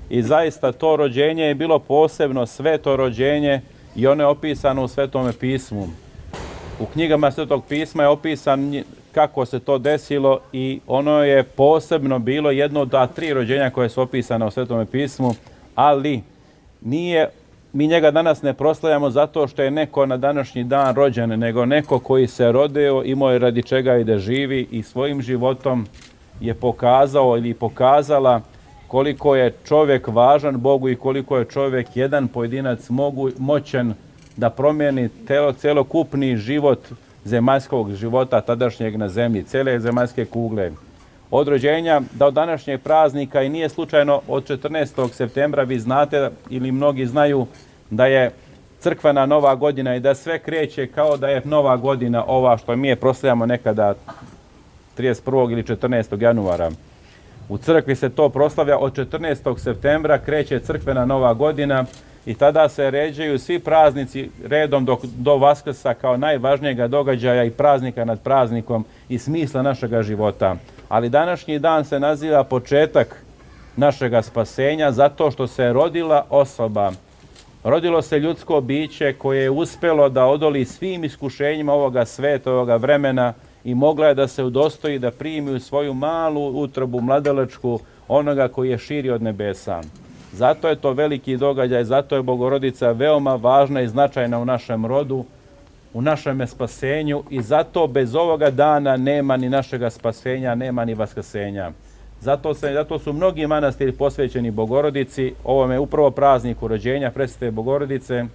i zaista to rođenje je bilo posebno sveto rođenje i ono je opisano u Svetome pismu. U knjigama Svetog pisma je opisan kako se to desilo i ono je posebno bilo jedno od 3 rođenja koje su opisane u Svetome pismu, ali mi njega danas ne proslavljamo zato što je neko na današnji dan rođen, nego neko koji se rodio, imao je radi čega i da živi i svojim životom je pokazao ili pokazala koliko je čovjek važan Bogu i koliko je čovjek jedan pojedinac moćan da promijeni celokupni život zemaljskog života tadašnjeg na zemlji, cijele zemaljske kugle. Od rođenja do današnjeg praznika i nije slučajno od 14. septembra, vi znate ili mnogi znaju da je crkvena nova godina i da sve kreće kao da je nova godina ova što mi je proslavljamo nekada 31. ili 14. januara. U crkvi se to proslavlja od 14. septembra, kreće crkvena nova godina i tada se ređaju svi praznici redom do Vaskrsa kao najvažnijega događaja i praznika nad praznikom i smisla našega života. Ali današnji dan se naziva početak našega spasenja zato što se rodila osoba. Rodilo se ljudsko biće koje je uspjelo da odoli svim iskušenjima ovoga sveta, ovoga vremena i mogla je da se udostoji da primi u svoju malu utrobu mladalačku onoga koji je širi od nebesa. Zato je to veliki događaj, zato je Bogorodica veoma važna i značajna u našem rodu, u našem spasenju i zato bez ovoga dana nema ni našega spasenja, nema ni vaskrsenja. Zato su mnogi manastiri posvećeni Bogorodici, ovome upravo prazniku rođenja Presvete Bogorodice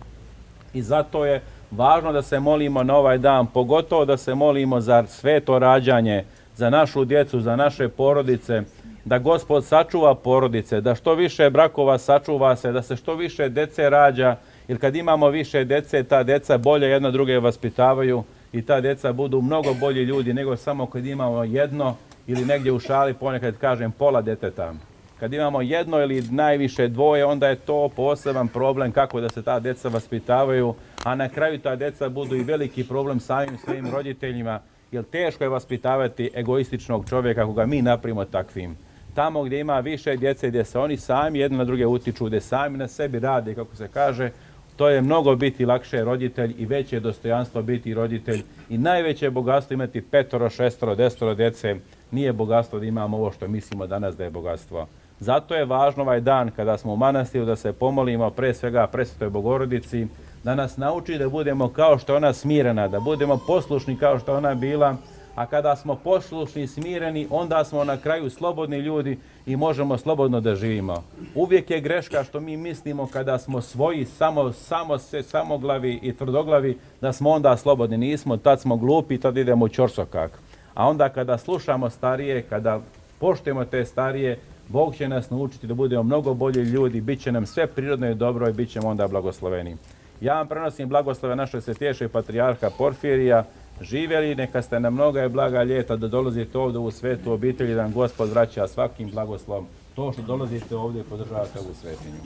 i zato je važno da se molimo na ovaj dan, pogotovo da se molimo za sveto rađanje, za našu djecu, za naše porodice, da Gospod sačuva porodice, da što više brakova sačuva se, da se što više dece rađa, jer kad imamo više dece, ta deca bolje jedna druge vaspitavaju i ta deca budu mnogo bolji ljudi nego samo kad imamo jedno ili negdje u šali ponekad kažem pola djeteta. Kad imamo jedno ili najviše dvoje, onda je to poseban problem kako da se ta djeca vaspitavaju, a na kraju ta djeca budu i veliki problem samim svojim roditeljima, jer teško je vaspitavati egoističnog čovjeka ako ga mi napravimo takvim. Tamo gdje ima više djece, gdje se oni sami jedni na druge utiču, gdje sami na sebi rade, kako se kaže, to je mnogo biti lakše roditelj i veće dostojanstvo biti roditelj i najveće bogatstvo imati 5, 6, 10 djece. Nije bogatstvo da imamo ovo što mislimo danas da je bogatstvo. Zato je važno ovaj dan kada smo u manastiru da se pomolimo pre svega Presvetoj Bogorodici, da nas nauči da budemo kao što je ona smirena, da budemo poslušni kao što je ona bila, a kada smo poslušni i smireni, onda smo na kraju slobodni ljudi i možemo slobodno da živimo. Uvijek je greška što mi mislimo kada smo svoji, samoglavi i tvrdoglavi, da smo onda slobodni. Nismo, tad smo glupi, tad idemo u ćorsokak. A onda kada slušamo starije, kada poštujemo te starije, Bog će nas naučiti da budemo mnogo bolji ljudi, bit će nam sve prirodno i dobro i bit ćemo onda blagosloveni. Ja vam prenosim blagoslove našeg svetejšeg patrijarha Porfirija. Živjeli, neka ste na mnoga i blaga ljeta da dolazite ovdje u svetu obitelji, da vam Gospod vraća svakim blagoslovom. To što dolazite ovdje i podržavate ovu svetinju.